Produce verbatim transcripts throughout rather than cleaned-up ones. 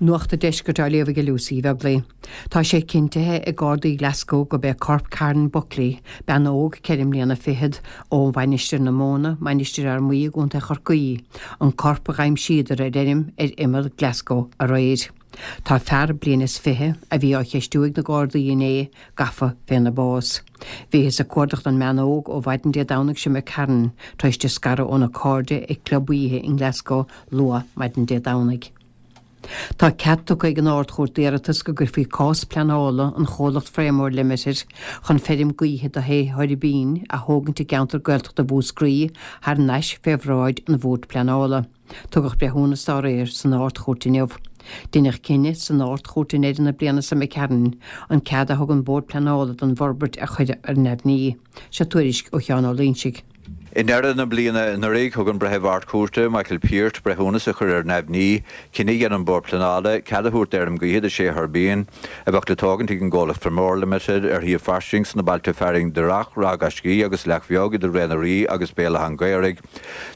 Nuacht an Deiscirt á léamh ag Lucy Bheaglaoich. Tá sé cinntithe ag Gardaí Glasgow gurb é corp Karen Buckley, bean óg ceithre mbliana fichead ó Mhainistir na Móna, Mainistir Fhear Maí i gContae Chorcaí, an corp a d'aimsíodar ar fheirm ar imeall Glasgow aréir. Tá fear bliain is fiche a bhí á cheistiú ag na Gardaí inné gafa féna bás. Bhíothas ag cuardach don mbean óg ó mhaidin Dé Domhnaigh seo Karen tar éis di scaradh óna cairde ag club oíche in Glasgow luath maidin Dé Domhnaigh. Tá cead tugtha ag an Ard-Chúirt d'iarratas go gcuirfí cás pleanála an chomhlacht Frameor Limited chun feirm gaoithe do shé thuirbín a thógaint i gceantar Gaeltachta Mhúscraí thar n-ais fé bhráid an Bhoird Pleanála. Tugadh breithiúnas dá réir san Ard-Chúirt inniu. Deineadh cinneadh san Ard-Chúirt i ndeireadh na bliana seo imigh tharainn an cead a thug an Bord Pleanála don bhforbairt a chur ar neamhní. Seo tuairisc ó Sheán Ó Loingsigh. I ndeireadh na bliana anuraidh thug an Breitheamh Ard-Chúirte Michael Peart breithiúnas a chur ar neamhní cinneadh an Bhord Pleanála cead a thabhairt d'fheirm gaoithe de sé thuirbín a bheadh le tógaint ag an gcomhlacht Frameor Limited ar shuíomh fairsing sna bailte fearainn Doireach, Ráth Gaiscí agus Leac Bheag idir Ré na Rí agus Béal Átha an Ghaorthaidh.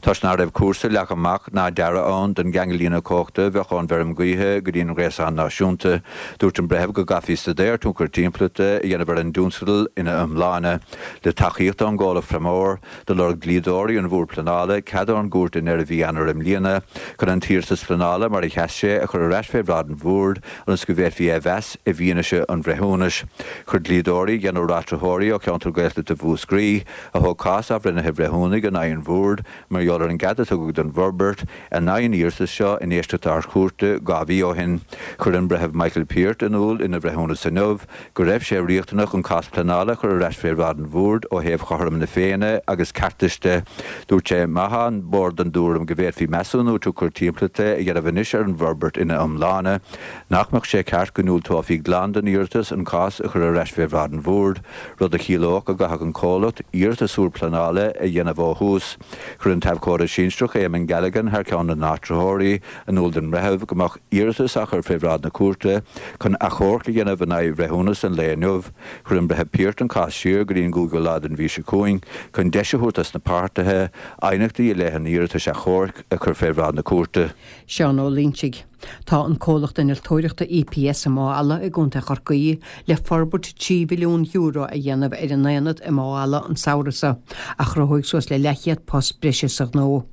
Toisc nach raibh cúrsa leagtha amach ná dearadh ann don gceangal líne cumhachta a bheadh ón bhfeirm gaoithe go dtí an gréasán náisiúnta. Dúirt an breitheamh go gcaithfí staidéar tionchar timpeallachta a dhéanamh ar an dtionscadal ina iomláine le tacaíocht ón gcomhlacht Frameor do lorg dlíodóirí an Bhoird Pleanála cead ón gcúirt i ndeireadh mhí Eanáir i mbliana chun an t-iarratas pleanála mar a sheas sé a chur ar ais fé bhráid an Bhoird ionas go bhféadfaí é a mheas i bhfianaise an bhreithiúnais. Chuir dlíodóirí deichniúr áitritheoirí ó cheantar Gaeltachta Mhúscraí a thóg cás athbhreithnithe bhreithiúnaigh in aghaidh an Bhoird mar gheall ar an gcead a tugadh don bhforbairt in aghaidh an iarratais seo in éisteacht Ard-Chúirte dhá mhí ó shin. Chuir an breitheamh Michael Peart in iúl ina bhreithiúnas inniu go raibh sé riachtanach an cás pleanála a chur ar ais fé bhráid an Bhoird ó thaobh chothrom na Féinne agus ceartais de. Dúirt sé má tá an Bord den tuairim go bhféadfaí measúnú tionchar timpeallachta a dhéanamh anois ar an bhforbairt ina iomláine, nach mbeadh sé ceart go ndiúltófaí glan don iarratas an cás a chur ar ais fé bhráid an Bhoird, rud a chiallódh go gcaithfeadh an comhlacht iarratas úr pleanála a dhéanamh ó thús. Chuir an t-abhcóide sinsearach Eamon Galligan thar ceann na n-áitritheoirí in iúl don bhreitheamh go mbeadh iarratas á chur fé bhráid na cúirte chun achomharc a dhéanamh in aghaidh bhreithiúnas an lae inniu. Chuir an breitheamh Peart an cás siar go dtí an cúigiú lá den mhí seo chugainn chun deis a thabhairt dos na páirtithe aighneachtaí i leith an iarratais achomhairc a chur fé bhráid na cúirte. Seán Ó Loingsigh. Tá an comhlacht innealtóireachta EPS i Maigh Ealla i gContae Chorcaí le forbairt trí mhilliún euro a dhéanamh ar an aonad i Maigh Ealla an samhradh seo, a chruthóidh suas le leathchéad post breise sa ghnó.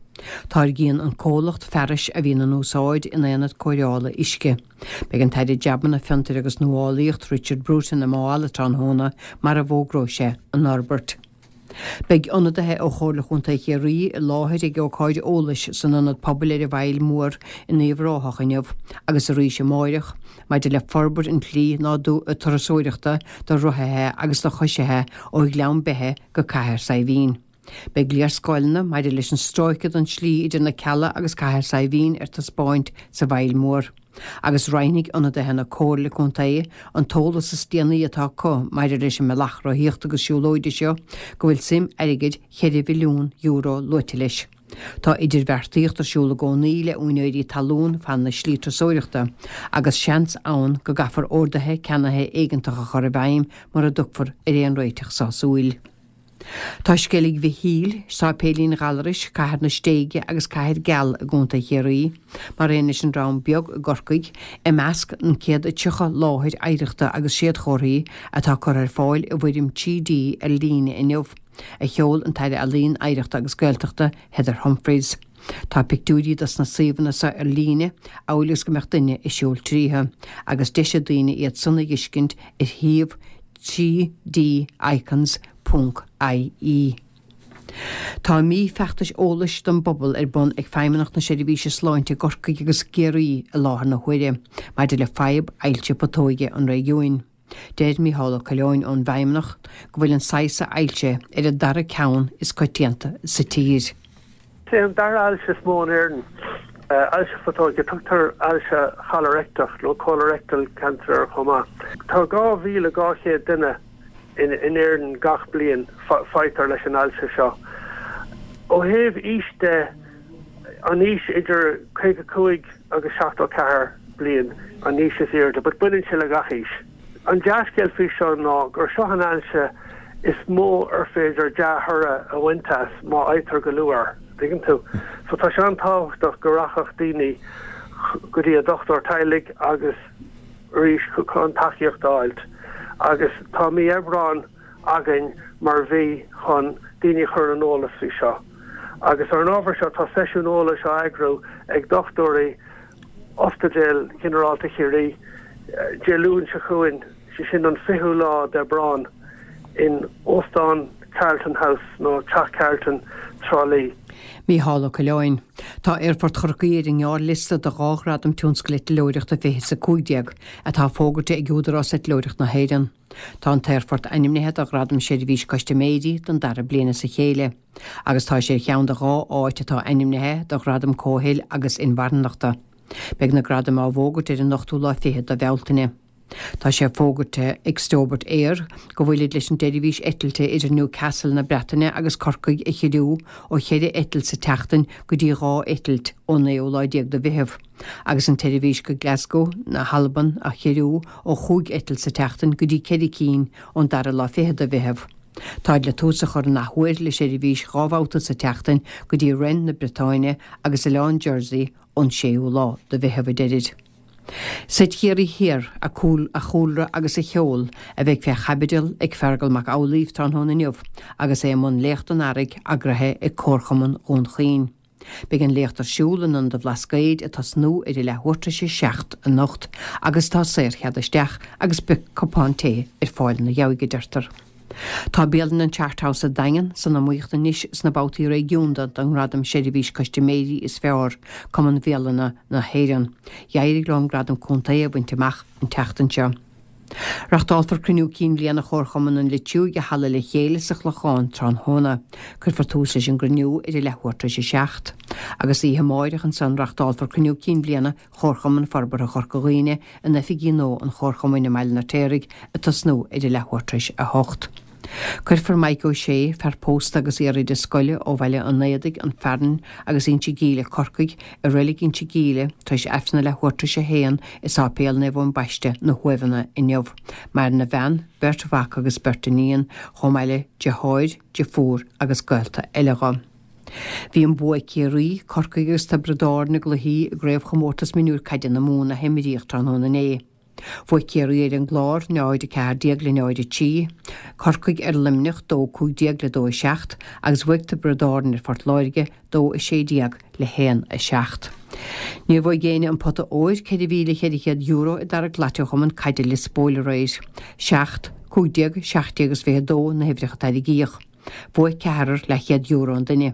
Táirgíonn an comhlacht fearais a bhíonn in úsáid in aonad cóireála uisce. Beidh an tAire Jabanna Fiontair agus Nuálaíocht Richard Bruton i Maigh Ealla tráthnóna mar a bhfógróidh sé an fhorbairt. Beidh ionadaithe ó Chomhairle Chontae Chiarraí i láthair ag ócáid eolais san ionad pobail ar an bhFaill Mhór in Uíbh Ráthach inniu agus arís amárach maidir le forbairt an tslí nádú turasóireachta do rothaithe agus do choisithe ó Ghleann Beithe go Cathair Saidhbhín. Beidh léarscáileanna maidir leis an stráice den tslí idir na Cealla agus Cathair Saidhbhín ar taispeáint sa bhFaill Mhór. Agus roinnfidh ionadaithe na Comhairle Contae an t-eolas is déanaí atá acu maidir leis an mbealach rothaíochta agus siúlóide seo go bhfuil suim airgid cheithre mhilliún euro luaite leis. Tá idirbheartaíocht ar siúl i gcónaí le úinéirí talún fan na slí turasóireachta, agus seans ann go gcaithfear orduithe ceannaithe éigeantach a chur i bhfeidhm mura dtiocfar ar aon réiteach sásúil. Tá Sceilg Mhichíl, Sáipéilín Ghallarais, Cathair na Stéige agus Cathair Geal i gContae Chiarraí, mar aon leis an Dream Beag i gCorcaigh, i measc an céad is tríocha láthair oidhreachta agus séadchomharthaí atá curtha ar fáil i bhfoirm trí D ar líne inniu, a sheol an tAire Ealaíon, Oidhreachta agus Gaeltachta Heather Humphreys. Tá pictiúirí dos na suíomhanna seo ar líne, amhail is go mbeadh duine ag siúl tríothu, agus deis ag daoine iad san a dh'fheiscint ar shuíomh trí D icons ponc IE. Tá mí feachtais eolais don bpobal ar bun ag Feidhmeannacht na Seirbhíse Sláinte i gCorcaigh agus i gCiarraí i láthair na huaire maidir le fadhb ailse putóige an réigiúin. Deir Mícheál Ó Coileáin ón bhFeidhmeannacht go bhfuil an saghas seo ailse ar an dara ceann is coitianta sa tír. Is é an dara ailse is mó in Éirinn, ailse phutóige. Tugtar ailse cholaireicteach nó colorectal cancer air chomh maith. Tá dhá mhíle dhá chéad duine in Éirinn gach bliain faightear leis an ailse seo. Ó thaobh aois de, an aois idir caoga cúig agus seachtó ceathair bliain an aois is airde, but baineann sé le gach aois. An dea-scéal faoi seo ná gur seo an ailse is mó ar féidir dea-thoradh a bhaint as má fhaightear go luath air, tuigeann tú. So tá sé an-tábhachtach go rachadh daoine go dtí a dochtúir teaghlaigh agus arís chun tacaíocht a fháilt. Agus tá mí Aibreán againn mar mhí chun daoine a chur ar an eolas faoi seo. Agus ar an ábhar seo tá seisiún eolais á eagrú ag dochtúirí Ospidéal Ginearálta Chiarraí Dé Luain seo chugainn, sé sin an fichiú lá d'Aibreán, in Óstán Carlton House nó Teach Carlton, Trá Lí. Mícheál Ó Coileáin. Tá Aerfort Chorcaí ar an ngearrliosta do dhá Ghradam Tionscal Eitleoireachta fiche is a cúig déag, atá fógartha ag Údarás Eitleoireachta na hÉireann. Tá an t-aerfort ainmnithe do Ghradam Seirbhís Custaiméirí don dara bliain as a chéile, agus tá sé ar cheann de dhá áit atá ainmnithe do Ghradam Comhshaoil agus Inmharthanachta. Beidh na gradaim á bhfógairt ar an ochtú lá fichead de Bhealtaine. Tá sé fógartha ag Stobart Air go bhfuilid leis an tseirbhís eitilte idir Newcastle na Breataine agus Corcaigh a chiorrú ó cheithre eitilt sa tseachtain go dtí dhá eitilt ón naoú lá déag de Mheitheamh, agus an tseirbhís go Glasgow na hAlban a chiorrú ó chúig eitilt sa tseachtain go dtí ceithre cinn ón dara lá fichead de Mheitheamh. Táid le tús a chur an athuair le seirbhís dhá bhabhta sa tseachtain go dtí Rennes na Briotáine agus Oileán Jersey ón séú lá de Mheitheamh, a deirid. Seit Chiarraí Thiar, a chúlra agus a cheol, a bheidh fé chaibidil ag Feargal Mac Amhlaoibh tráthnóna inniu agus é i mbun Léacht an Earraigh eagraithe ag Comharchumann Dhún Chaoin. Beidh an léacht ar siúl in Ionad an Bhlascaoid ag tosnú ar a leathuair tar éis a seacht anocht agus tá saorchead isteach agus beidh cupán tae ar fáil ina dhiaidh, a deirtear. Tá bialann an Chart House sa Daingean san iomaíocht anois sna babhtaí réigiúnda don nGradam Seirbhís Custaiméirí is Fearr, Cumann Bhialanna na hÉireann. D'éirigh leo an gradam contae a bhaint amach an tseachtain seo. Reachtálfar cruinniú cinn bhliana Chomharchumann an Leitriúigh i Halla Le Chéile sa Chlochán tráthnóna. Cuirfear tús leis an gcruinniú ar a leathuair tar éis a seacht. Agus oíche amárach ansan reachtálfar cruinniú cinn bhliana Chomharchumann Forbartha Chorca Dhuibhne in oifigí nua an Chomharchumainn i mBaile an Fheirtéaraigh ag tosnú ar a leathuair tar éis a hocht. Cuirfear Mike O'Shea, fear pósta agus iar-oide scoile ó Bhaile an Éadaigh, An Fearann agus Inse Gíle, Corcaigh, i Reilig Inse Gíle tar éis Aifreann a leathuair tar éis a haon i Sáipéal Naomh Eoin Baiste, Na hUaimheanna, inniu. Maireann a bhean, beirt mhac agus beirt iníon, chomh maith le deartháir, deirfiúr agus gaolta eile dho. Bhí an bua ag Ciarraí, Corcaigh agus Tiobraid Árann i gcluichí i gCraobhchomórtas Mionúir Caide na Mumhan a himríodh tráthnóna inné. Bhuaigh Ciarraí ar an gClár, náid a ceathair déag le náid a trí, Corcaigh ar Luimneach, dó cúig déag le dó a seacht, agus bhuaigh Tiobraid Árann ar Phort Láirge, dó a sé déag le haon a seacht. Níor bhuaigh éinne an pota óir, ceithre mhíle cheithre chéad euro, i dtarrac glaite Chumann Caide Lios Póil aréir. Seacht, cúig déag, seacht déag is fiche a dó na huimhreacha a tairgíodh. Bhuaigh ceathrar leathchéad euro an duine.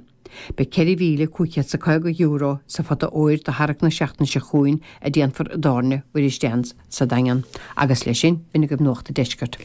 Beidh ceithre mhíle cúig chéad 's a caoga euro sa phota óir do tharrac na seachtaine seo chugainn a déanfar i dTábhairne Mhuiris Dan's sa Daingean. Agus leis sin, b'in agaibh Nuacht an Deiscirt.